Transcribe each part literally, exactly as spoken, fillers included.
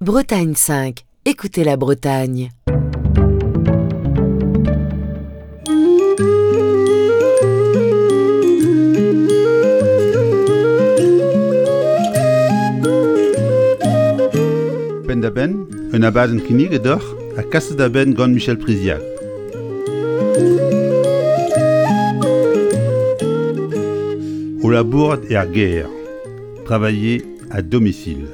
Bretagne cinq, écoutez la Bretagne. Penn-da-benn, un abadenn kinniget deoc'h ha kaset da benn gant Michel Priziac. O labourat er gêr, travailler à domicile.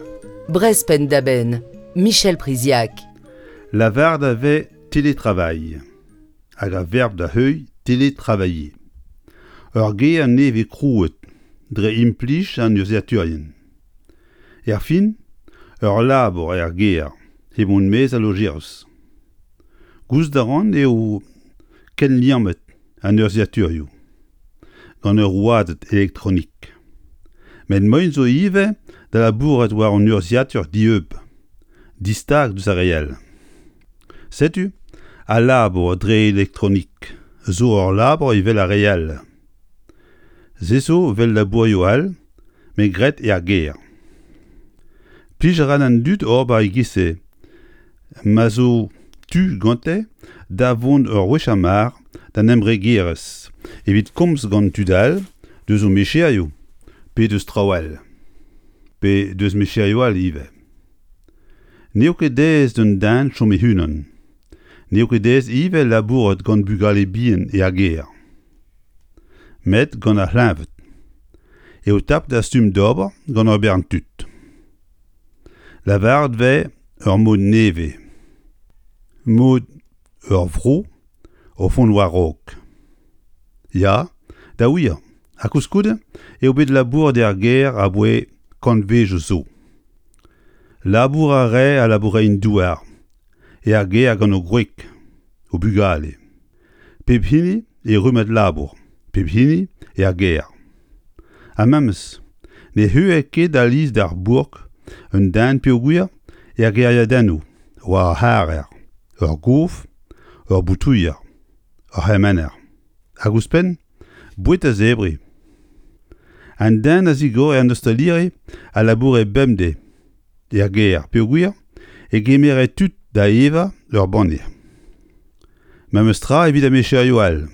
Breizh Penn-da-Benn, Michel Priziac. Lavaret a vez télétravail hag ar verb da heuilh télétravailler. Ur ger nevez krouet dre implij an urzhiataerien. Er fin, ur labour er gêr hep mont maez al lojeris. Gouzout a ran eo kenliammet an urzhiataerioù gant ur rouedad elektronik. Met moaien zo ivez da labourat war an urzhiataer dieub, distag deus ar re all. Setu al labour dre elektronik zo ur labour evel ar re all. Se zo evel labourioù all, met graet er gêr. Plij a ra d'an dud ober e-giz-se, ma zo tu gante da vont ur wech ar mar d'an embregerezh evit komz gant tud all deus o micherioù pe deus traoù all, pe deus micherioù all ivez. N'eo ket aes d'un den chom e-unan. N'eo ket aes ivez labourat gant bugale bihan er gêr. Met gant ar c'hleñved eo tapet ar stumm d'ober gant ur bern tud. Lavaret 'vez ur mod nevez, mod ur vro o vont war-raok. Ya, da wir, ha koulskoude eo bet labouret er gêr aboae kantvedoù zo. Labour a rae al labourerien-douar er gêr gant o gwreg, o bugale. Pep hini e rummad labour, pep hini er gêr. Ha memes, ne c'heuer ket alies d'ar bourk un den peogwir er gêriadennoù war ar c'harrer, ur gof, ur boutouilher, ur c'hemener. Hag ouzhpenn, boued da zebriñ. An den a zigore an ostaliri a laboure bemdez er gêr peogwir e gemere tud da evañ ur banne. Memes tra evit ar micherioù all.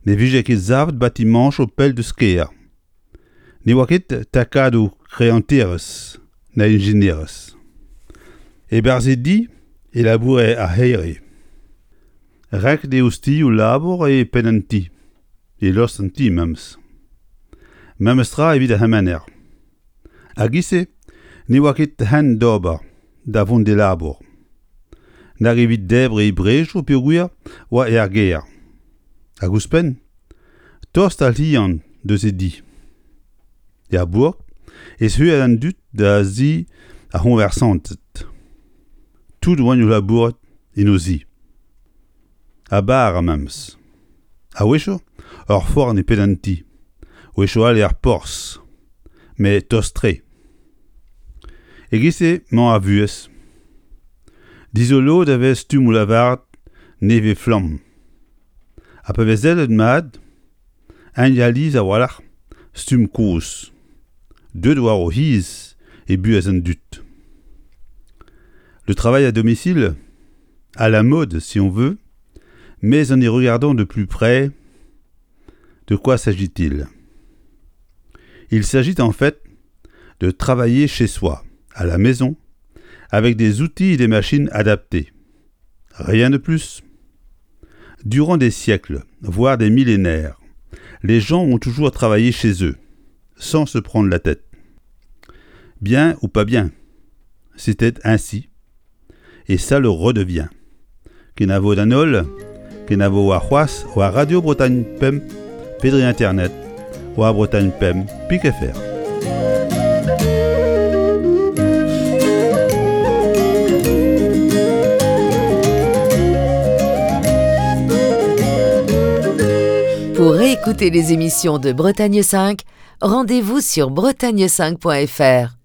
Ne vije ket savet batimañchoù pell deus kêr. Ne oa ket takadoù greanterezh na ijinerezh. E-barzh e di e laboure ar c'here. Renket eo ostilhoù labour e penn an ti, e lost an ti memes. Memes tra evit ar c'hemener. A-giz-se ne oa ket hent d'ober da vont d'e labour. Nag evit debriñ e brejoù peogwir oa er gêr. Hag ouzhpenn, tost al lien deus e di. Er bourk ez c'huel an dud da zi ar c'hoñversanted. Tout oant o labourat en o zi. Ha bara memes. A-wechoù, ur forn e penn an ti. A-wechoù all er porzh, met tost-tre. E-giz-se emañ ar vuhez. Dizoloet a vez stummoù lavaret nevez-flamm. Ha pa vez sellet mat, eñ alies a-walc'h stumm kozh. Deuet war o c'hiz e buhez an dud. Le travail à domicile, à la mode si on veut, mais en y regardant de plus près, de quoi s'agit-il? Il s'agit en fait de travailler chez soi, à la maison, avec des outils et des machines adaptés. Rien de plus. Durant des siècles, voire des millénaires, les gens ont toujours travaillé chez eux, sans se prendre la tête. Bien ou pas bien, c'était ainsi, et ça le redevient. Kenavo d'an holl, kenavo warc'hoazh war Radio Bretagne Pemp, pe dre Internet, war Bretagne Pemp pik F R. Pour réécouter les émissions de Bretagne cinq, rendez-vous sur bretagne cinq point F R.